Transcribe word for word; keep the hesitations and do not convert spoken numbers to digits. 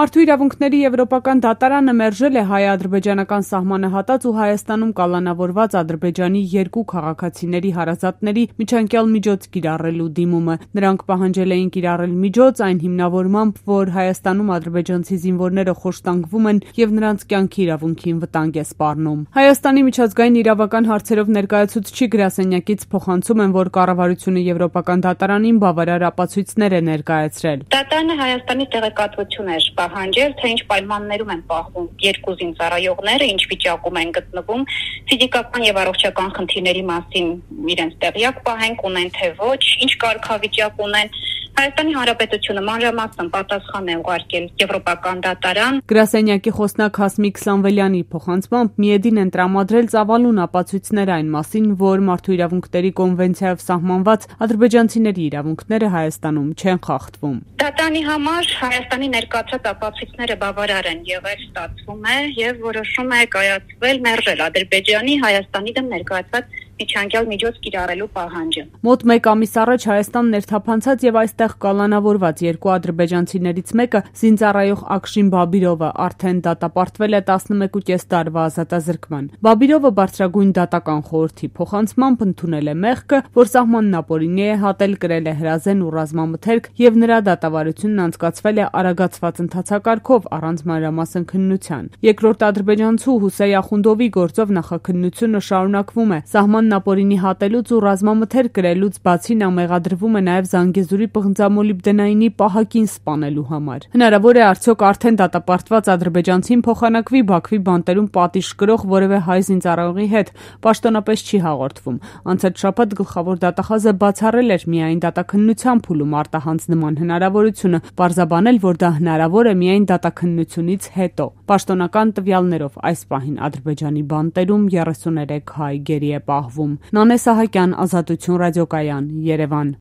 Մարդու իրավունքների եվրոպական դատարանը մերժել է հայ-ադրբեջանական սահմանը հատած ու Հայաստանում կալանավորված Ադրբեջանի երկու քաղաքացիների հարազատների միջանկյալ միջոց կիրառելու դիմումը։ Նրանք պահանջել էին կիրառել միջոց այն հիմնավորմամբ, որ Հայաստանում ադրբեջանցի զինվորները խոշտանգվում են եւ նրանց կյանքի իրավունքին վտանգ է սպառնում։ Հայաստանի միջազգային իրավական հարցերով ներկայացուցչի գրասենյակից փոխանցում են, որ կառավարությունը եվրոպական դատարանին բավարար ապացույցներ է ներկայացրել։ Դատարանը Հայաստանի տեղեկատվություն էր պահանջել, թե ինչ պայմաններում են պահվում երկու զինծառայողները, ինչ վիճակում են գտնվում, ֆիզիկական եւ առողջական խնդիրների մասին իրենց տեղյակ պահենք, ունեն թե ոչ, ինչ կարգավիճակ ունեն։ Հայաստանի Հանրապետությունը մանրամասն պատասխան է ուղարկել եվրոպական դատարան։ Գրասենյակի խոսնակ Հասմիկ Սամվելյանի փոխանցմամբ ՄԻԵԴ-ին են տրամադրել ծավալուն ապացույցներ այն մասին, որ մարդու իրավունքների կոնվենցիայով սահմանված ադրբեջանցիների իրավունքները Հայաստանում չեն խախտվում։ Դատարանի համար Հայաստանի ներկայացած ապացույցները բավարար են եղել, ստացվում է եւ որոշում է կայացվել մերժել Ադրբեջանի Հայաստանի դեմ ներկայացված միջանկյալ միջոց կիրառելու պահանջը։ Մոտ մեկ ամիս առաջ Հայաստան ներթափանցած եւ այստեղ կալանավորված երկու ադրբեջանցիներից մեկը զինծառայող Ակշին Բաբիրովը արդեն դատապարտվել է տասնմեկուկես տարվա ազատազրկման։ Բաբիրովը բարձրագույն դատական խորհրդի փոխանցմամբ ընդունել է մեղքը, որ սահմանն ապօրինի է հատել, կրել է հրազեն ու ռազմամթերք եւ նրա դատավարությունն անցկացվել է արագացված ընթացակարգով առանց մանրամասն քննության։ Երկրորդ ադրբեջանցու Հուսեյ Ախունդովի գործով նախաքննությունը շարունակվում է։ Սահմանն ապօրինի հատելուց ու ռազմամթերք կրելուց բացի նա մեղադրվում է նաև Զանգեզուրի պղնձամոլիբդենայինի պահակին սպանելու համար։ Հնարավոր է արդյոք արդեն դատապարտված ադրբեջանցին փոխանակվի Բաքվի բանտերում պատիժ կրող որևէ հայ զինծառայողի հետ, պաշտոնապես չի հաղորդվում։ Անցած շաբաթ գլխավոր դատախազը բացառել էր միայն դատաքննության փուլում արտահանց նման հնարավորությունը, պարզաբանել, որ դա հնարավոր է միայն դատաքննությունից հետո։ Պաշտոնական տվյալներով այս պահին Ադրբեջանի բանտերում երեսուներեք հայ գերի է պահվում։ Նանե Սահակյան, Ազատություն ռադիոկայան, Երևան։